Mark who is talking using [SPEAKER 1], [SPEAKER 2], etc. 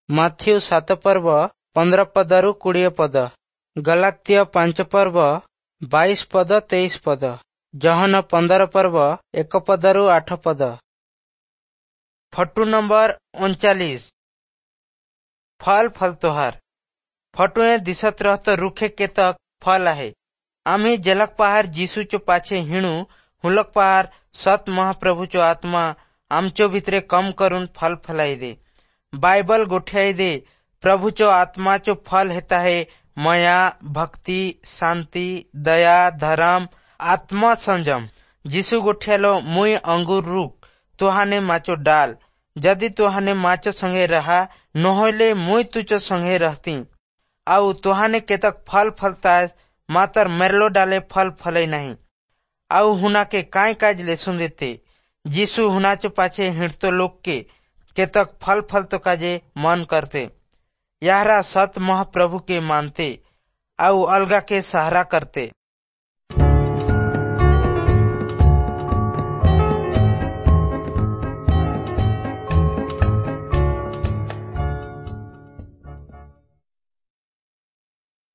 [SPEAKER 1] Matthew 7 ପର୍ବ 15 ପଦରୁ 20 ପଦ, ଗଲାତ୍ୟ 5 ପର୍ବ 22 ପଦ 23 ପଦ, ଯୋହନ 15 ପର୍ବ 1 ପଦରୁ 8 ପଦ। ଫଟୁ ନମ୍ବର 39, फल फल तोहार। फटुए दिसत रहत रुखे केतक फल आहे। आम्ही जलक पहार जीसूचो पाछे हिणू हुलक पहार सत महाप्रभूचो आत्मा आमचो भितरे कम करून फल फलाई दे। बाइबल गोठ्याई दे प्रभूचो आत्माचो फल हेता है मया, भक्ति, शांति, दया, धर्म, आत्मा संयम। जीसू गोठ्यालो मुई अंगूर रुख तुहाने माचो डाल, यदि तुहाने माचो संगे रहा नहोले मुई तुचो संगे रहती। आउ तुहाने केतक फल फलता मातर मेरलो डाले फल फले नहीं। आउ हुना के काय काज लेसुन देते। जीसू हुनाचो पाछे हिंडतो लोग के केतक फल फलतो काजे मन करते। याहरा सत महाप्रभु के मानते आउ अलगा के सहारा करते।